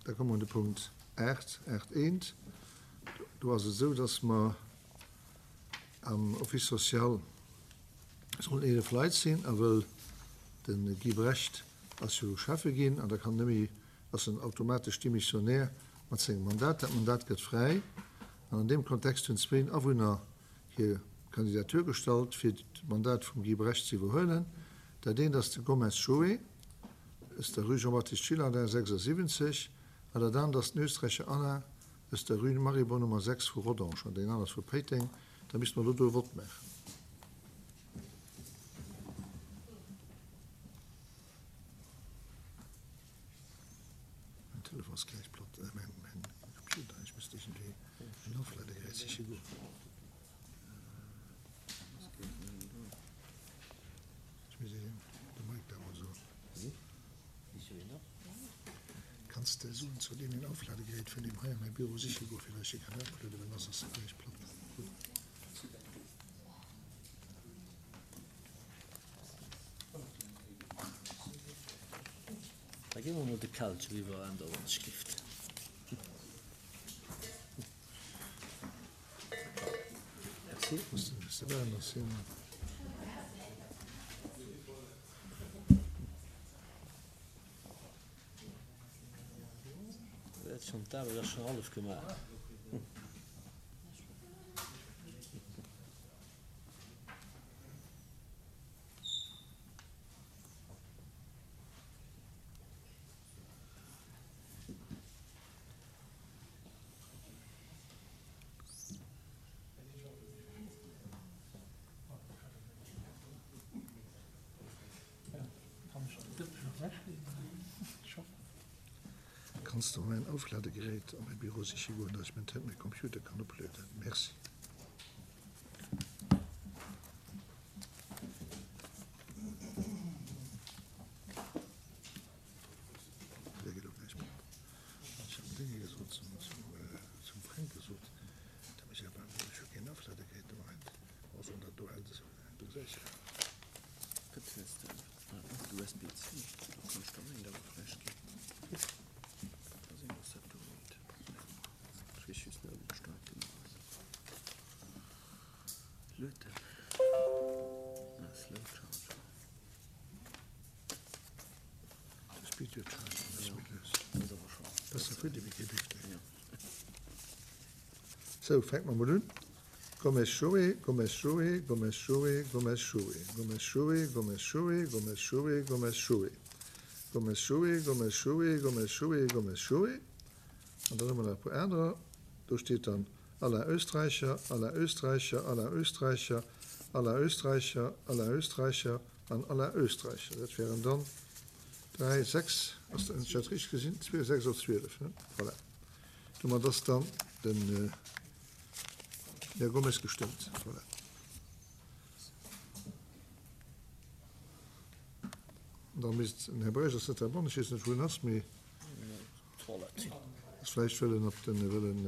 Da komme mer un de Punkt 8, 8 eent. Do ass et esou, dass mer am Office social sollen 11 Leit sinn, a wëll de Guy Brecht ass jo Schäffe ginn an da kann net méi, ass en automatesch Démissionnaire mat sengem Mandat. Dat Mandat gëtt fräi an an deem Kontext hunn zwéin Awunner hir Kandidatur gestallt, fir d'Mandat vum Guy Brecht ze iwwerhuelen. Dat eent ass de Gomez Joé aus der Rue Jean-Baptiste Gillardin 76 an dat anert ass den Österreicher Alain aus der Rue Maribor Nummer 6 vu Rodange an deen anert ass vu Péiteng. Da misste mer elo do e Vott maachen. Mein Telefon ass gläich platt, äh, mein, mein Computer, ech misst iergendwéi en Aufladegerät siche goen. Ech muss de Mike da mol soen. Kanns de soen, zu deem een Aufladegerät vun deem hei an mäi Büro siche goen, fir datt ech e kann oplueden, well soss ass e gläich platt. Da gi mer mol de Kelch eriwwer an der Wandschrift. Merci. D'Aarbecht ass schonn hallef gemaach. Kanns de mäin Aufladegerät an mäi Büro siche goen, dass ech mäin Computer kann oplueden? Merci. Sou, fänke mer mol un. Gomez Joé, Gomez Joé, Gomez Joé, Gomez Joé, Gomez Joé, Gomez Joé, Gomez Joé, Gomez Joé, Gomez Joé, Gomez Joé, Gomez Joé, Gomez Joé. An dann hu mer nach e puer anerer. Do steet dann Alain Oestreicher, Alain Oestreicher, Alain Oestreicher, Alain Oestreicher, Alain Oestreicher an Alain Oestreicher. Dat wären dann 3, 6, ass dat, hunn ech dat richteg gesinn? 2, 6 op 12, ne? Voilà. Domat ass dann den Här Gomes gestëmmt. Voilà. Da misst den Här Breisch, ass net heibannen, ech weess net, wou en ass, mee ass vläicht wëll en op den, wëll en.